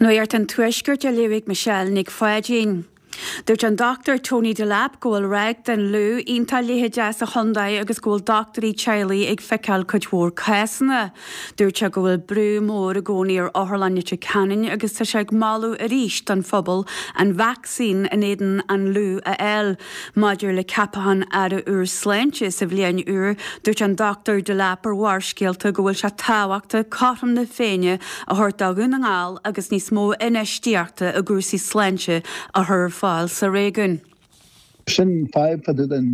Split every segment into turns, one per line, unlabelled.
Nuacht an Tuaiscirt á léamh ag Michelle Nic Pháidín. Dúirt an Dr Tony Delap go bhfuil ráig den fhliú iontach leitheadach sa chontae agus go bhfuil dochtúirí teaghlaigh ag feiceáil cuid mhór cásanna. Dúirt sé go bhfuil brú mór i gcónaí ar Otharlann Leitir Ceanainn agus tá sé ag moladh arís don phobal an vacsaín in éadan an fhliú a fháil. Maidir le ceapachán Aire úr Sláinte sa bhliain úr, dúirt an Dr Delap ar Bharrscéalta go bhfuil sé tábhachtach cothrom na Féinne a thabhairt do Dhún na nGall agus níos mó infheistíochta i gcúrsaí sláinte a chur ar fáil sa réigiún.
Sin fadhb fá dtaobh den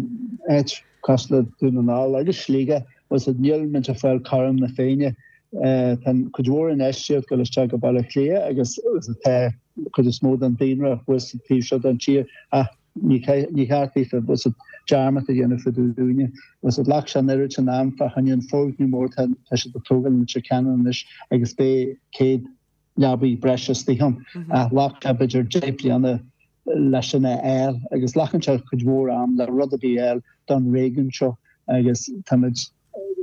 áit cosúil le Dún na nGall agus Sligeach, bhfuil 's a'd, níl muid ag fáil cothrom na Féinne. Tá cuid mhór infheistíocht ag dul isteach go Baile Átha Cliath agus tá cuid is mó den daonra thuas sa taobh seo den tír ach ní cheart daofa, bhfuil 's a'd, dearmad a dhéanamh fá dtaobh dúinne. Bhfuil 's a'd, ghlac sé an oiread sin am fá choinne an foirgneamh mór tá siad ag tógáil in Leitir Ceanainn anois agus beidh 100 leabaí breise istigh ann ach ghlac sé b'fhéidir 10 bliana leis sin a fháil agus glacann sé cuid mhór am le rud ar bith a fháil don réigiún seo agus táimid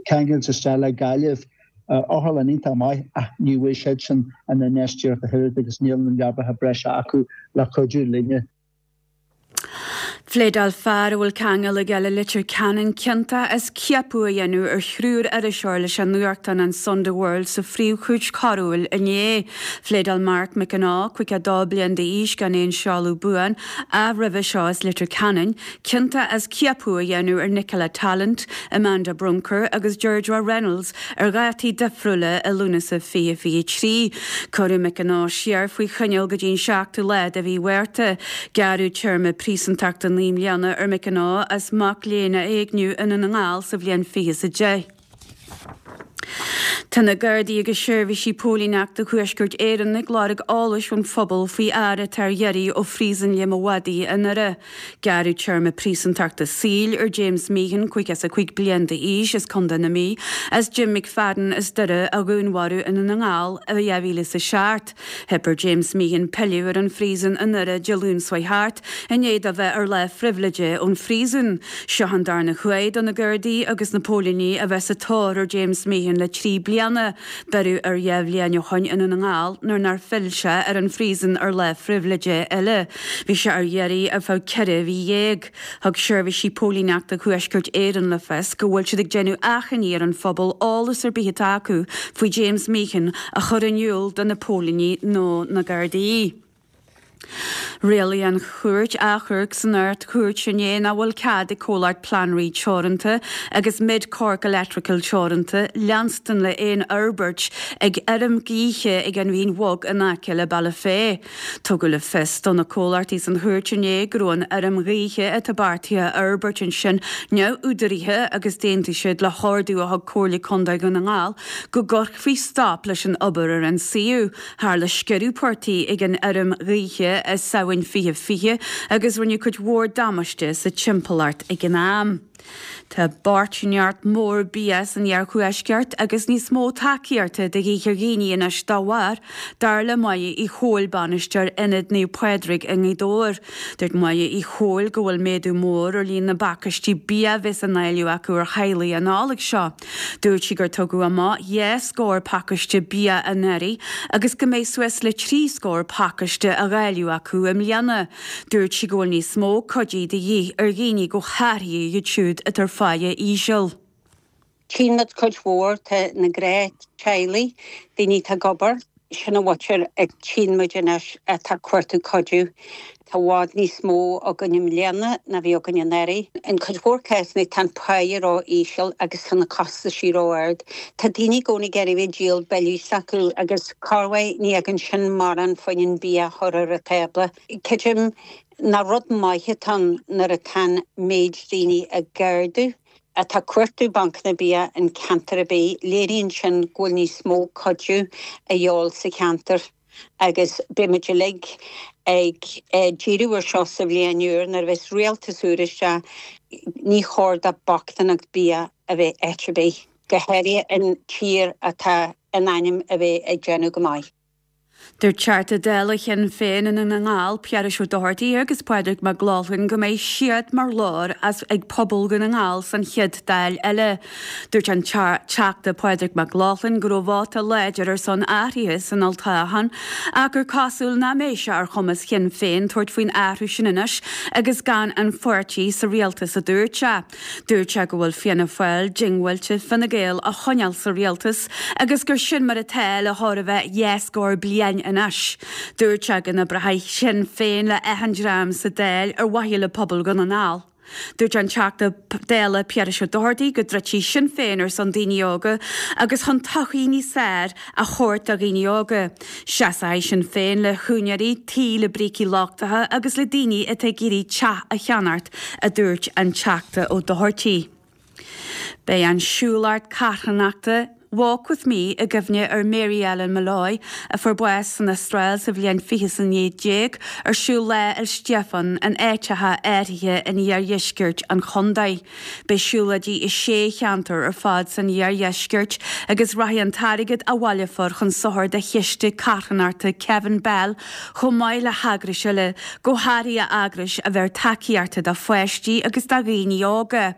ceangailte isteach le Gaillimh, otharlann iontach maith ach ní bhfuair siadsan an infheistíocht ach oiread agus níl na leabaithe breise acu le cuidiú linne.
Phléadáil fear a bhfuil ceangal aige le Leitir Ceanainn ciontach as ciapadh a dhéanamh ar thriúr iriseoir leis an nuachtán an Sunday World sa Phríomh-Chúirt Choiriúil inné. Phléadáil Mark McAnaugh, 52 bliain d'aois gan aon seoladh buan, ach roimhe seo as Leitir Ceanainn, ciontach as ciapadh a dhéanamh ar Nicola Tallant, Amanda Brunker agus Deirdre Reynolds ar dhátaí difriúla i Lúnasa 2023. Cuireadh McAnaugh siar faoi choinneáil go dtí an seachtú lá de mhí Mhárta. Gearradh téarma príosúntachta 9 mbliana ar McAnaugh as mac léinn a éigniú i nDún na nGall sa bhliain 2010. Tá na Gardaí agus seirbhísí póilíneachta Thuaisceart Éireann ag lorg eolais ón phobal faoi fhear atá ar iarraidh ó Phríosún Liam a' Mhadaidh i nDoire. Gearradh téarma príosúntachta saoil ar James Meehan, 55 bliain d'aois, as Contae na Mí, as Jim McFadden as Doire a dhúnmharú i nDún na nGall i 2007. Theip ar James Meehan pilleadh ar an phríosún i nDoire Dé Luain seo thart, i ndiaidh dó bheith ar lá phribhléide ón phríosún. Seo an darna huair do na Gardaí agus na póilíní a bheith sa tóir ar James Meehan le 3 bliana. Beireadh air 2 bhliain ó shoin i nDún na nGall nuair nár phill sé ar an phríosún ar lá phribhléide eile. Bhí sé ar iarraidh ar feadh 14 mhí. Thug seirbhísí póilíneachta Thuaisceart Éireann le fios go bhfuil siad ag déanamh achainí ar an phobal eolas ar bith atá acu faoi James Meehan a chur in iúl do na póilíní nó na Gardaí. Rialaigh an Chúirt Achomhairc san Ard-Chúirt inné nach bhfuil cead ag comhlacht Planraí Teoranta agus Mid Cork Electrical Teoranta leanstan le aon fhorbairt ag fheirm gaoithe ag an Bhinn Bhog in aice le Bealach Féich. Tugadh le fios do na comhlachtaí san chúirt inné go raibh an fheirm ghaoithe atá beartaithe a fhorbairt ansin neamhúdaraithe agus d'aontaigh siad le hordú a thug Comhairle Contae Dhún na nGall go gcuirfí stop leis an obair ar an suíomh. Tharla sciorradh portaigh ag an fheirm ghaoithe i Samhain 2020 agus rinneadh cuid mhór damáiste sa timpeallacht ag an am. Tá bochtaineacht mhór bia san iarthuaisceart agus níos mó tacaíochta de dhíth ar dhaoine anois dá bharr, dar le Máire Uí Chomhail, bainisteoir Ionad Naomh Pádraig i nGaoth Dobhair. Dúirt Máire Uí Chomhail go bhfuil méadú mór ar líon na bpacáistí bia a bheas á ndáileadh acu ar theaghlaigh an Nollaig seo. Dúirt sí gur tugadh amach 2 scór pacáiste bia anuraidh agus go mbeidh suas le 3 scór pacáiste á dháileadh acu i mbliana. Dúirt sí go bhfuil níos mó cuidí de dhíth ar dhaoine go háirithe iad siúd atá ar pháighe íseal.
Tchíonn muid cuid mhór de na gnáth-teaghlaigh, daoine atá ag obair, sin an mhuintir a tchíonn muid anois atá ag cuartú cuidiú. Tá i bhfad níos mó againn i mbliana ná bhí againn anuraidh. In cuid mhór cásanna tá an páighe ró-íseal agus tá na costaisí ró-ard. Tá daoine i gcónaí ag iarraidh a bheith ag díol billí s'acu agus corruair ní fhaigheann sin mórán fá choinne an bia a chur ar an tábla. Creidim nach rud maith atá ann nuair atá an méid daoine ag ardú. atá ag cuartú bancanna bia in ceantar ar bith, léiríonn sin go bhfuil níos mó cuidiú a dhíobháil sa cheantar agus beidh muid uilig ag díriú ar seo sa bhliain úr nuair a bheas rialtas úr isteach. Ní chóir do bochtaineacht bia a bheith áit ar bith, go háirithe in tír atá in ainm a bheith ag déanamh go maith.
Dúirt Teachta Dála Shinn Féin i nDún na nGall, Piarais Ó Dochartaigh agus Pádraig Mac Lochlainn go mbeidh siad mar ghlór as ag pobal Dhún na nGall san chéad Dáil eile. Dúirt an Teachta Pádraig Mac Lochlainn go raibh vóta láidir ar son athraithe san olltoghchán ach gur cosúil nach mbeidh sé ar chumas Shinn Féin tabhairt faoin athrú sin anois agus gan an pháirtí sa rialtas, a dúirt sé. Dúirt sé go bhfuil Fianna Fáil diongbháilte Fine Gael a choinneáil sa rialtas agus gur sin mar atá le chóir a bheith dhá scór bliain anois. Dúirt sé go n-oibreoidh Sinn Féin le achan dream sa Dáil ar mhaithe le pobal Dhún na nGall. Dúirt an Teachta Dála Piarais Ó Dochartaigh go dtroidfidh Sinn Féin ar son daoine óga agus chun todhchaí níos fearr a thabhairt do dhaoine óga. Seasfaidh Sinn Féin le húinéirí tí le brící lochtacha agus le daoine atá ag iarraidh teach a cheannacht, a dúirt an Teachta Ó Dochartaigh. Beidh an siúlóireacht carthanachta Walk With Me i gcuimhne ar Mary Ellen Molloy, a fuair bás san Astráil sa bhliain 2019, ar siúl Lá 'le Stiofáin in áiteacha áirithe in iardheisceart an chontae. Beidh siúlóidí i sé cheantar ar fad san iardheisceart agus rachaidh an t-airgead a bhaileofar chun sochair do chiste carthanachta Kevin Bell chomh maith le heagrais eile, go háirithe eagrais a bheir tacaíochta do pháistí agus do dhaoine óga.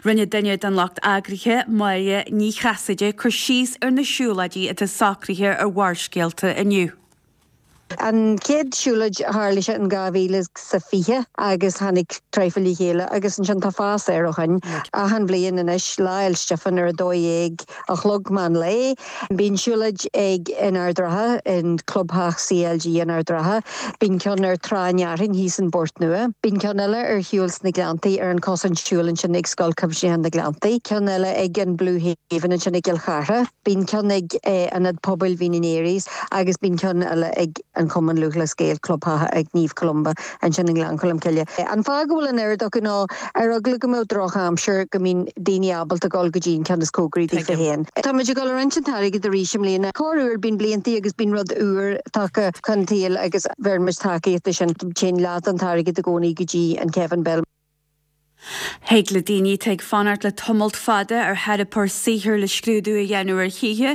Rinne duine den lucht eagraithe, Máire Ní Chasaide, cur síos ar na siúlóidí atá socraithe ar Bharrscéalta inniu.
An chéad siúlóid tharla sé in 2020 agus tháinig traidhfil le chéile agus ansin tá fás air ó shin. Achan bhliain anois, Lá Fhéil Stiofáin ar 12 a chlog meán lae. Bíonn siúlóid ag in Ard Ratha, in Clubtheach CLG in Ard Ratha. Bíonn ceann ar Trá an Fhearthainn thíos in bPort Nua. Bíonn ceann eile ar shiúl sna Gleanntaí ar an cosán siúil ansin ag Scoil Chuimsitheach na Gleanntaí. Ceann eile ag an Blue Haven ansin i gCill Chartha. Bíonn ceann ag Ionad Pobail Mhín an Aoire agus bíonn ceann eile ag an Chumann Lúthchleas Gael, Clubtheach ag Naomh Columba ansin i nGleann Cholm Cille. An fáth go bhfuil an oiread acu ná ar eagla go mbeadh droch aimsir go mbíonn daoine ábalta dul go dtí an ceann is cóngaraí daofa féin. Tá muid ag dul a roinnt an t-airgead arís i mbliana. Corruair bíonn bliantaí agus bíonn rud úr tagtha chun tsaoil agus bheireann muid tacaíocht do sin. Téann leath den t-airgead i gcónaí go dtí an Kevin Bell.
Thig le daoine atá ag fanacht le tamalt fada ar theiripeoir saothair le scrúdú a dhéanamh ar thithe,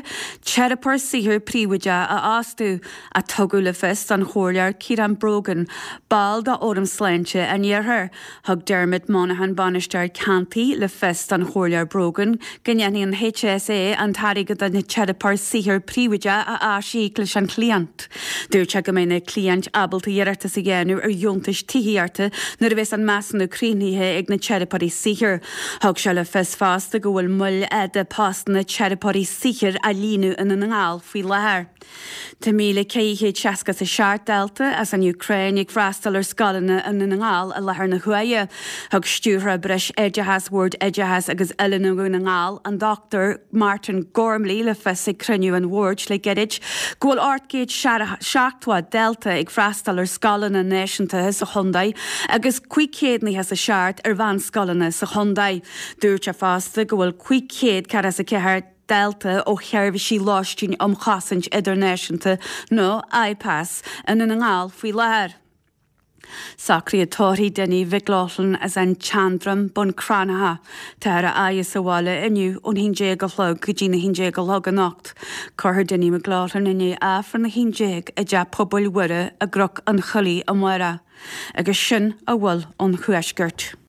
teiripeoir saothair príobháideach a fhostú, a tugadh le fios don Chomhairleoir Ciarán Brogan, ball de Fhóram Sláinte an Iarthair. Thug Dermot Monaghan, Bainisteoir Ceantair, le fios don Chomhairleoir Brogan go ndéanfaidh an HSA an t-airgead don teiripeoir saothair príobháideach a aisíoc leis an chliant. Dúirt sé go mbeidh na cliaint ábalta iarratas a dhéanamh ar dheontais tithíochta nuair a bheas an measúnú críochnaithe ag na teiripeoirí saothair. Thug sé le fios fosta go bhfuil moill fhada postanna teiripeoirí saothair á líonadh i nDún na nGall faoi láthair. Tá 1,467 dalta as an Úcráin ag freastal ar scoileanna i nDún na nGall i láthair na huaire. Thug Stiúrthóir Breisoideachais Bhord Oideachais agus Oiliúna Dhún na nGall, an Dr Martin Gormley le fios ag cruinniú an bhoird le gairid go bhfuil 870 dalta ag freastal ar scoileanna náisiúnta sa chontae agus 597 ar mheánscoileanna sa chontae. Dúirt sé fosta go bhfuil 544 dalta ó sheirbhísí lóistín um chosaint idirnáisiúnta nó IPAS i nDún na nGall faoi láthair. Socruithe tórraimh Dinny Mhic Lochlainn as an tSeandroim, Bun Cranncha. Táthar á fhaire sa bhaile inniu ón 11 a chlog go dtí na 11 a chlog anocht. Cuirfear Dinny McLaughlin i ndiaidh Aifreann a 11 i dTeach Pobail Mhuire i gCnoc an Choilligh amárach. Agus sin a bhfuil ón Thuaisceart.